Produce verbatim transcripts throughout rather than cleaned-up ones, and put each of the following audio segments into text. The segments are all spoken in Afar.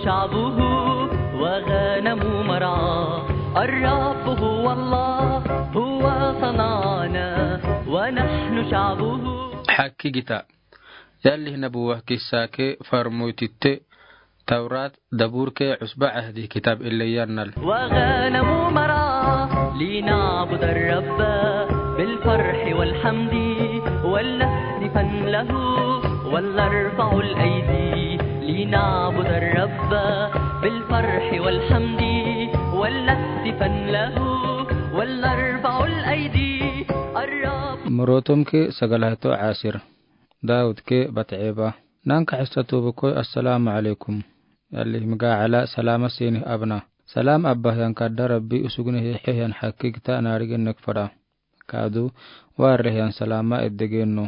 شعبه وغنم مرعاه. الرب هو الله، هو صنعنا ونحن شعبه. Hakiigita. Yalli nabuwa kissa ke farmoytitte Tawrat, Dabur ke Usba Ahdi kitab ille yannal. وغنم مرعاه لنعبد الرب بالفرح والحمد ولنهتفن له ولنرفع الأيدي لنعبد الرب بالفرح والحمد ولنهتفن له ولنرفع الأيدي. الرب. Morotom ke sagalahato asir. Daud ke Bateba. Nanka hissa tobo koi, Assalamu alaikum. Yalli miga ala salama sinih abna. Salam abba hiyan kadda Rabbi usugne hihe hiyan hakiigita naarigen nek fada. Kadu, warre hiyan salama eddegen no.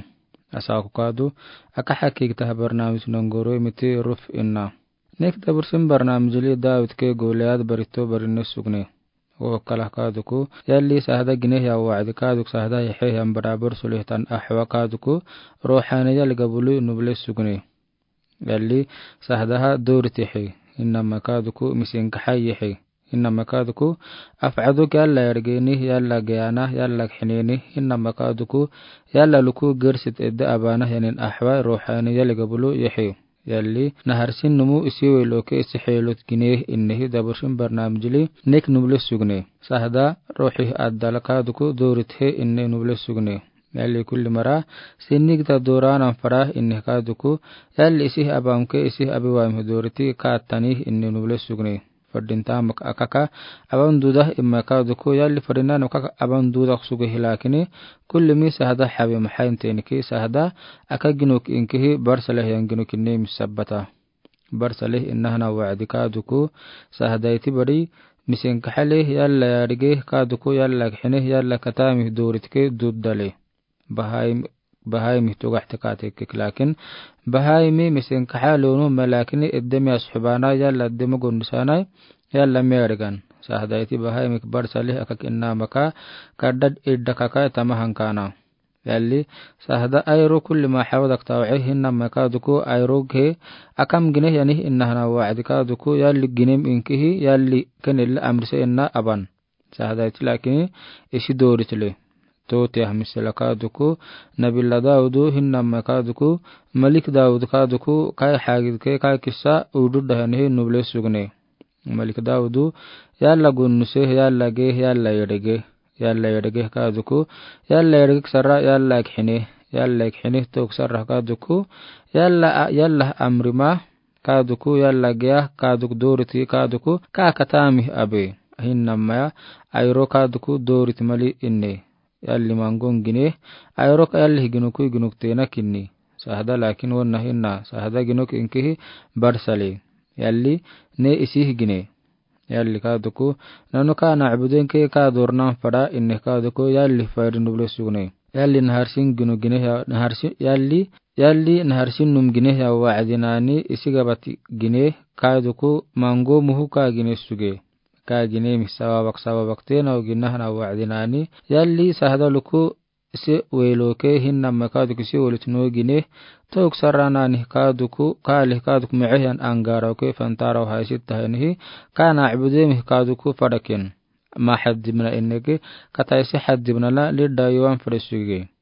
Asaku kadu, aka hakiigita habar namis nongoro imiti ruf inna. Nek dabursin barnamijli Daud ke Goliad barito barine sugne. Wo kala kaduku, yalli sahda gine hiya wa'di kaduku sahda hihe hiyan barabar sulih tan ahwa kaduku, rohani yalli gabulu nuble sugne. Yalli sahdaha doriti hi, innama kaduku misinkaha yihi. Innama kaduku, af'aduk yalla yargeni, yalla geyana, yalla khineni, innama kaduku, yalla luku gersit edde abana yanin ahwa rohani yalli gabulu yihi. Yalli naharsin numu isi weloke isi helot gine innehi dabursin barnamijli nek nuble sugne. Sahda rohi addala kaduku dorit he inne nuble sugne. Yalli kulli mara sinigda doranan fara inne kaduku, yalli isi abamke isi abiwamhe doriti kaatani inne nuble sugne. Fadinta mak akaka, aban duda imma kaduku, yalli fadinan akaka aban duda suge hilakini, kulli mi sahda habi mahain teniki sahda, aka ginuk inkihi barsaleh yan ginuk inne mi sabbata. Barsaleh innahana wa'di kaduku, sahda iti bari, misinkaha leh yalla yarige kaduku, yalla khine, yalla katami doritke duddale. Bahaim, bahaimi tugahte katekek lakin, bahaimi misinkaha lonu malakini eddemi ashubana yalla eddemi gondisanai, yalla merigan. Sahda iti bahaimi barsaleh akak innamaka, kadad iddakaka tamahankana. Yalli, sahda ayro kulli ma hawdak taw'i hinnama kaduku ayro ge, akam gine yani innahana wa'di kaduku, yalli ginem inkihi, yalli kenil amrise inna aban. Sahda iti lakini isi doritile. Toti ahmisela kaduku, Nabila Daudu, hinnama kaduku, Malik Daud kaduku, kai hagidke, kai kissa, udu dahanihi nuble sugne. Malik Daudu, yalla gunnuse, yalla ge, yalla yedege, yalla yedege kaduku, yalla yedege sara, yalla khine, yalla khine tok sara kaduku, yalla, yalla amrima, kaduku, yalla geya, kaduku doriti, kaduku, ka katami abe. Hinnama ya, ayro kaduku doriti mali inne. Yalli mangon gine, ayro ka yalli ginuku ginuk tena kinni. Sahda lakin wonna hinna, sahda ginuk inkihi barsale. Yalli ne isih gine. Yalli kaduku, nanu ka na'budin ke ka dornan fada inne kaduku, yalli fadi nuble sugne. Yalli naharsin ginu gine ya, naharsin, yalli, yalli naharsin num gine ya wa'di nani isi gabati gine kaduku mango muhu ka gine suge. Ka gine mi sababak sababak tena ugi nahana wa'di nani. Yalli sahda luku isi weloke hinnama kaduku isi welut no gine. Tok sara nani kaduku, kali kaduku me'ehan angara uke fantara uhai sitta henihi. Ka na'budin mi kaduku fadakin. Ma haddimna ineke, kataisi haddimna la lidda yuwan fada suge.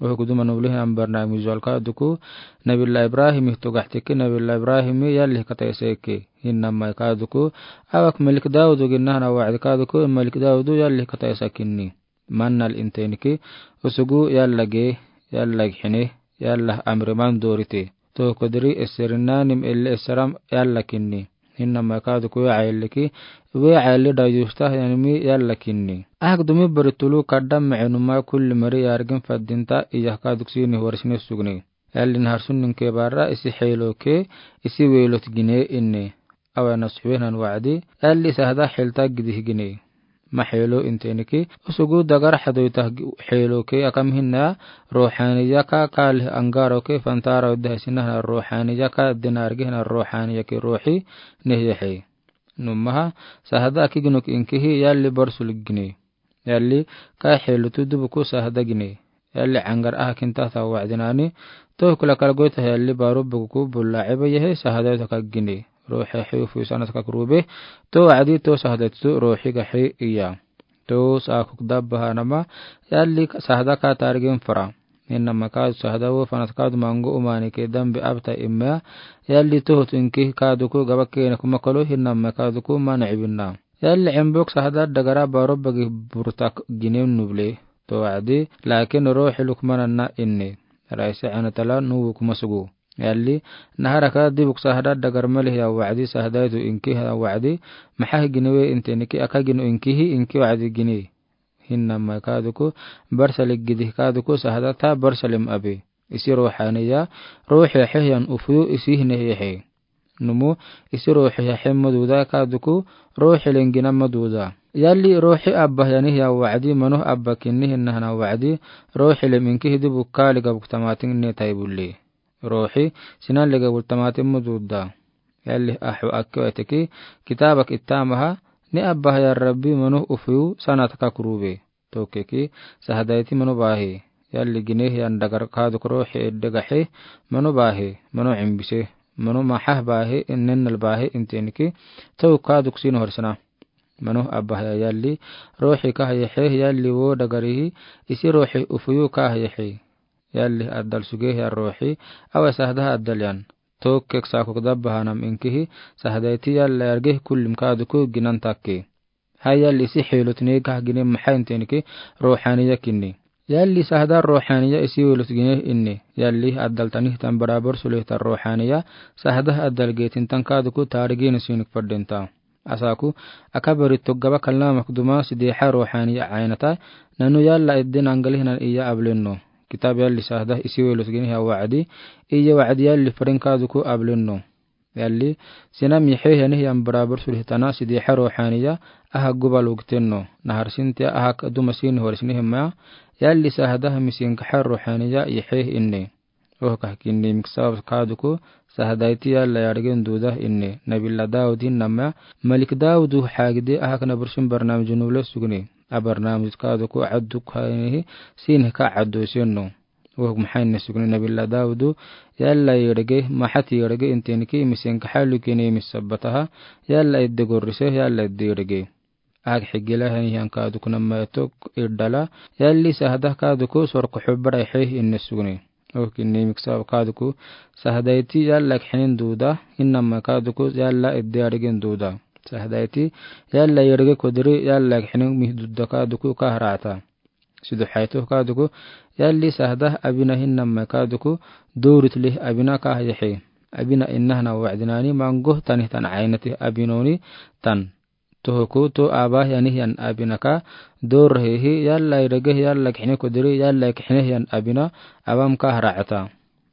Oho kuduma nublihi ambarna mizual kaduku, Nabila Ibrahim ih tugahteke, Nabila Ibrahim yalli kataisi eke. Hinnama kaduku, awak Malik Daudu ginnahana wa'di kaduku, Malik Daudu yalli kataisa kinni. Mannal inteniki, usugu yalla ge, yalla hine, yalla amriman dorite. Tokodiri eserinnanim elle eseram yalla kinni. Hinnama kaduku we ayelliki, we ayelli dayusta yanimi yalla kinni. Ahak dumi bari tulu kaddam me'enuma kulli mari yargin faddinta iyah kaduku sini warisine sugne. Yalli naharsun ninke barra isi heloke, isi welot gine inne. Awa nasuhwenan wa'di, yalli sahda helta gidih gine. Ma helo inteniki, usugu dagar hadoyta helo ke akam hinna, rohaniya ka kali angaro ke fantara udda sinahna rohaniya ka dinargi hina rohaniya ke rohi nehiyahe. Numaha, sahda aki ginuk inkihi yalli barsul gine. Yalli, ka helo tudu buku sahda gine. Yalli angar aha kinta ta wa'di nani, toh kula kala goita yalli baru buku bulla eba yehe sahda ta ka gine. Ruuxi ahi ufuyu sanatka kuruube. Too wacdi too sahadaitu ruuxi gaxi iya. Too saakuk dabbahanama, yalli sahada kaa taarigin fara. Hinama kaadu sahada wo fanat kaadu mangu umaanike dambi abta immea. Yalli tohut inki kaaduku gaba keene kuma kolo hinama kaaduku mana ibinna. Yalli embok sahada dagara baro bagi burtak ginen nuble. Too wacdi, laakin ruuxi lukmananna inni. Raisi anatala nuwu kuma sugu. Yalli, naharaka dibuk sahada dagar malih ya wacdi sahadaitu inki ya wacdi, maxahi giniwe inti inki aka ginu inkihi inki wacdi gini. Hinama kaaduku, barsalig gidih kaaduku sahada ta barsalim abi. Isi ruuxaniya, ruuxi ahi yan ufuyu isi hine yahi. Numu, isi ruuxi ahi maduda kaaduku, ruuxi lengina maduda. Yalli ruuxi abba yani ya wacdi, manuh abba kinni hinahana wacdi, ruuxi lem inkihi dibuk kaaliga buk tamaatin ne taibuli. Ruuxi, sinan lega bul tamaatin maduda. Yalli ahu akkewa teki, kitaabak ittaamaha, ni abba ya Rabbi manuh ufuyu sanatka kuruube. Too keki, sahadaiti manu baahi. Yalli ginehi yan dagar kaaduk ruuxi edde gaxi, manu baahi, manu imbise, manu maxah baahi, innennal baahi inti inki, too kaaduk sin horisana. Manu abba ya yalli, ruuxi kaa yaxi, yalli wo dagarihi, isi ruuxi ufuyu kaa yaxi. Yalli addal sugehi ya ruuxi, awe sahada addal yan. Too kek saakuk dabbahanam inkihi, sahadaiti yalla yarge kullim kaaduku ginan takke. Hay yalli isi xeelot ne kah gine maxay inti inki ruuxaniya kinni. Yalli sahada ruuxaniya isi weelot gine inni. Yalli addal tanih tan barabar sulih tan ruuxaniya sahada addal geetin tan kaaduku taarigin sinik fadden ta. Asaaku, aka bari tog gaba kalnamak duma sideexa ruuxaniya aynata, nanu yalla edden angalih nan iya ablenno. Kitaab yalli sahada isi weelot gine ya wacdi, iya wacdi yalli farin kaaduku ablenno. Yalli, sinam yaxi yani yan barabar sulih tana sideexa ruuxaniya, aha gubal ugtenno. Nahar sintia aha duma sin horisni hima, yalli sahada misin kaxa ruuxaniya yaxi inni. Oh kah kinni miksab kaaduku, sahadaiti yalla yargen duda inni. Nabilla Daawud hinama, Malik Daawudu xaagide aha kana bursin barnaamij nuble sugni. A barnaamij kaaduku adduk haynihi, sin hika addu senno. Wohok maxay inne sugni Nabilla Daawudu, yalla yerege, maxati yerege inti inki misin kaxa lukini misabbataha, yalla edde gorrise, yalla edde yerege. Ag xigila hani han kaaduku nama tok irdala, yalli sahada kaaduku sorko xubra yaxi inne sugni. Wohok inni miksab kaaduku, sahadaiti yalla kixinin duda, hinama kaaduku yalla edde yargen duda. Sahadaiti yalla yerege kodiri yalla kixinin mih dudda kaaduku kahrata. Sidu xayto kaaduku, yalli sahada abina hinama kaaduku, doorit lih abina kah yaxi. Abina innahana wacdinani mangoh tanih tan aynati abinoni tan. Tohoku too abah yani yan abina ka, doorhihi yalla yerege yalla kixini kodiri yalla kixini yan abina, abam kahrata.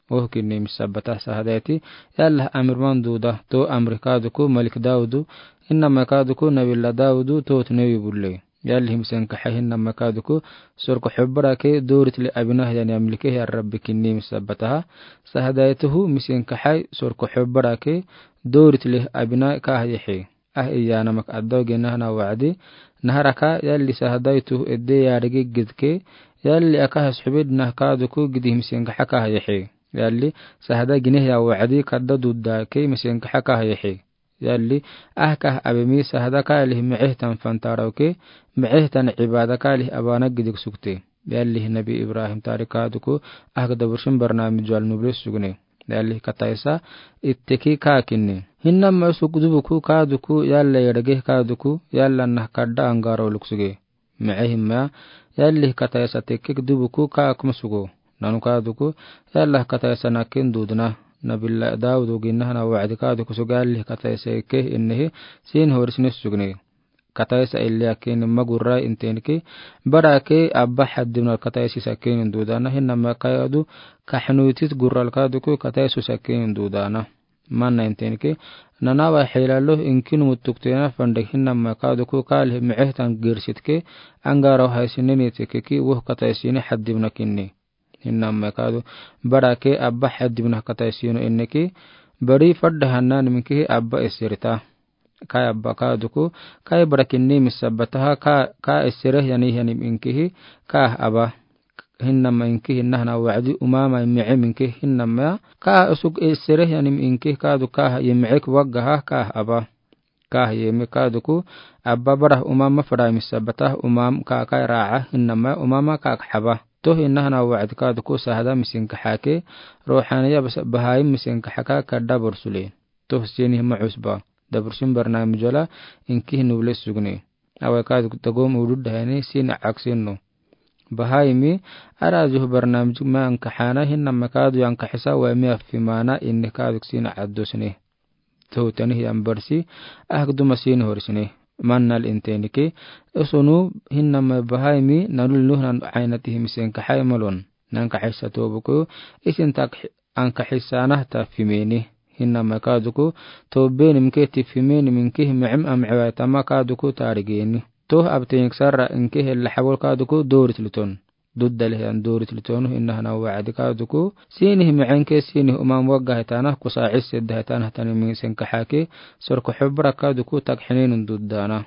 Wohok inni misabbata sahadaiti, yalla amir man duda, too amri kaaduku Malik Daawudu, hinama kaaduku Nabilla Daawudu, too tnewi bulle. Yalli misin kaxa hinama kaaduku, sorko xubra ke doorit lih abina yani amlike ya Rabbi kinni misabbataha, sahadaituhu misin kaxa sorko xubra ke doorit lih abina kah yaxi. Ah iya namak addaw gina hana wacdi, naharaka yalli sahadaitu edde yarege gidke, yalli aka has xubid nah kaaduku gidih misin kaxa kah yaxi. Yalli sahada gine ya wacdi kadda dudda ke misin kaxa kah yaxi. Yalli ah kah abimi sahada kalih miceh tan fantarawke, miceh tan ibada kalih abana gidik sukte. Yalli Nabi Ibrahim tarik kaaduku, ah kada bursin barnaamij jual nuble sugni. Yalli kataisa itteki kaakinni. Hinama suk dubuku kaaduku, yalla yerege kaaduku, yalla nah kadda angaro luksuge. Miceh hima, yalli kataisa tekkek dubuku kaakum sugo. Nanu kaaduku, yalla kataisa nakin dudna. Nabilla Daawudu gina hana wacdi kaaduku suga yalli kataisa eke innehi, sin horisni sugni. Kataisa ille akin magurra inti inki, bara ke abba xaddimnal kataisi sakin dudana, hinama kaadu kaxnuitit gurral kaaduku kataisu sakin dudana. Mana inti inki, nanawa xilalo inkin mutuktena fandek hinama kaaduku kalih miceh tan girsitke, angaro haysinni nitike ki woh kataisini xaddimna kinni. Hinama kaadu, bara ke abba xaddimna kataisino inneki, bari fadda hanna niminkihi abba esirita. Kai abba kaaduku, kai bara kinni misabbataha ka, ka esire yani yani minkihi, ka abba. hinnama inki hinnahana wacdi umama miice minki hinnama ka usug esereh yanim inki kadu ka yemice waggaha ka aba. Ka yemi kaduku aba barah umama fada misabata umam ka ka raca hinnama umama ka haba. Toh hinnahana wacdi kaduku sahada misinka hake, rohaniya basa bahai misinka haka kada borsule. Toh sini hima usba. Dabrushin barnamij wala inki hinu bule sugne. Awe kaduku tagom udud dahani sini aksinno. Bahaimi, ara juh barnamij ma anka hana hinnama kadu anka hisa wa mi afimana inni kaduk sini addosne. Toh tani hiyan barsi, ahk duma sini horsne. Mannal intenike, usunu hinnama bahaimi, nanul nuhnan aynati himisenka hay malon. Nanka hisa tobuku, isin tak anka hisanah ta fimeni. Hinnama kaduku, tobenimke ti fimeni minki himicim amciwa tama kaduku tarigeni. Toh abtenik sarra inki hella habol kaduku dorit luton. Duddal hiyan dorit lutonu hinnahana wacdi kaduku. Sini himicenke sini umam wagga hitanah kusa isse da hitanah tani misenka hake. Sorko hubra kaduku tak hininun duddana.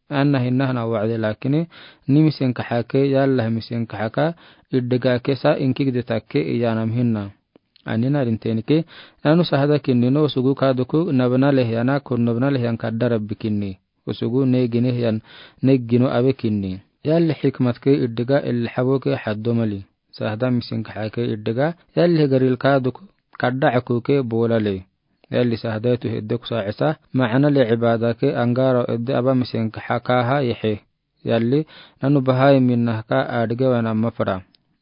Anna hinnahana wacdi lakini, ni misenka hake, yalla misenka haka, iddiga kesa, inki gde takke, iyanam hinna. Anina rintenike, nanu sahada kinni no usugu kaduku, nabna lehyana, kun nabna lehyan kadara bikinni. Usugu ne gine hyan, ne gino abe kinni. Yalla hikmatke iddiga, il haboke haddo mali. Sahada misenka hake iddiga, yalla garil kaduku, kadda akuke bolale. Yalli sahadaitu hidde kusa isa, maana le ibadake angaro idde aba misenka hakaha yehe. Yalli, nanu bahaimi nahka adige wana mafra.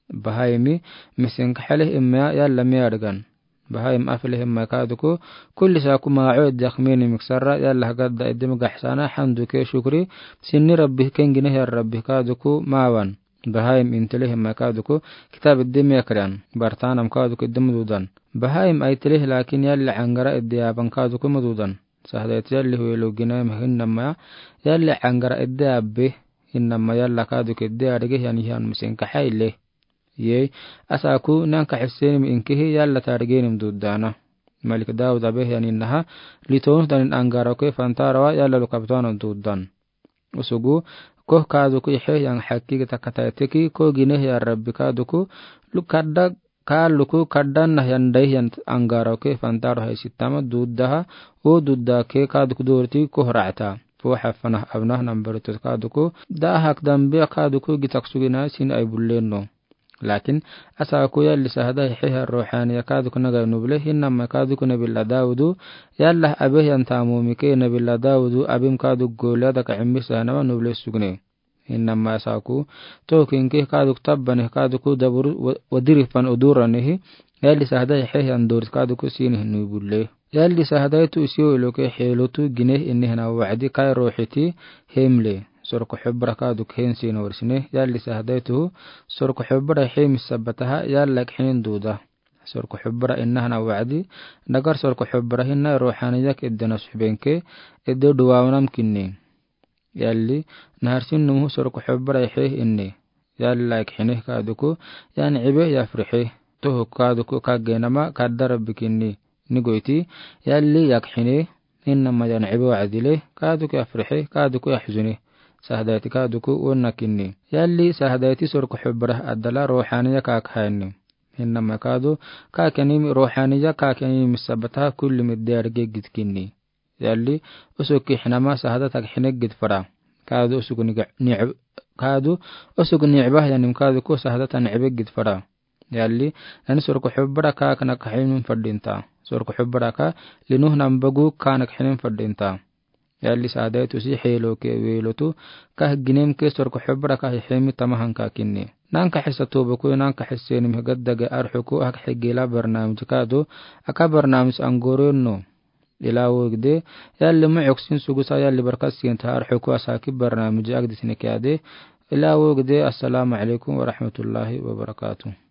Bahaimi misenka haleh imma yalla mi adigan. Bahaim afleh imma kaduku, kulli saku maa'o idde akmeni miksara, yalla hagadda idde migahsana, hamduke shukri, sinni rabbi kengine ya rabbi kaduku mawan. Bahaim inteleh imma kaduku, kitab idde mi akran, bartanam kaduku idde mududan. Bahaim aiteleh lakin yalli angara idde aban kaduku mududan. Sahadait yalli huwelo gina mahinnama, yalli angara idde abbe, hinnama yalla kaduku idde adige hyan hyan misenka haile. Yei, asaku nanka hisseni mi inkihi yalla tarigenim duddana. Malik Daud abe hyan innaha, litonus danin angara ke fantarawa yalla lukabtana duddan. Usugu, koh kaduku ihe hyan hakki gita kataiteki, koh gine hyan rabbi kaduku, lukadda, ka luku kaddan nah hyan dai hyan angaro ke fantaro hai sitama duddaha, o dudda ke kaduku dorti koh ra'ta. Fo hafanah abnah nambarutus kaduku, da hak dambia kaduku gitak sugina sin ai bullenno. Lakin, asaku yalli sahada hihe ha rohaniya kaduku naga nubule, hinnama kaduku nabila Daudu, yalla abe hyan tamumike nabila Daudu, abim kaduku Goliada ka immi sahanama nubule sugne. Hinnama asaku, toh kinke kaduku tabbane kaduku dabur wa-, wadirifan uduranehi, yalli sahada hihe hyan dorit kaduku sini nubule. Yalli sahadaitu isiyo iloke helotu gine innehana wa'di kai rohiti hemle. Sorko hubra kaduk hen sini warsine. Yalli sahadaitu sorko hubra hem sabataha yalla khinin duda. Sorko hubra innahana wa'di. Nagar sorko hubra hinna rohaniyak idde nasuhbenke idde duwawnam kinni. Yalli, naharsin nuhu sorko hubra ihe inni. Yalla khine kaduku, yan ibe yafrihe. Toh kaduku kagenama kadara bikinni. Nigoiti, yalli yak hine, innama yan ibe wa'dile, kaduku yafrihe, kaduku yahzune. Sahadaiti kaduku wonna kinni. Yalli sahadaiti sorko hubra adala rohaniya kak hainni. Hinnama kadu, kakeni rohaniya kakeni misabata kulli midde arge gidkinni. Yalli, usuk ki hinama sahada tak hine gid fara. Kadu usuk ni, ni, kadu usuk ni ibah yanim kaduku sahada tan ibe gid fara. Yalli, nani sorko hubra ka kana ka hinin fadinta. Sorko hubra ka linuh nambagu kana ka hinin fadinta. Yalli sahadaitu si heloke welotu, ka ginem ke sorko hubra ka himi tamahan ka kinni. Nanka hisa tobuku, nanka hisa ni mihgaddage arhuku, hak higila barnamij kadu, aka barnamij angoro no. Ila wogde, yalli mu'uk sin sugusa yalli barkat sin ta arhuku asaki barnamij agdisine kiade. Ila wogde, assalamu alaikum warahmatullahi wabarakatuh.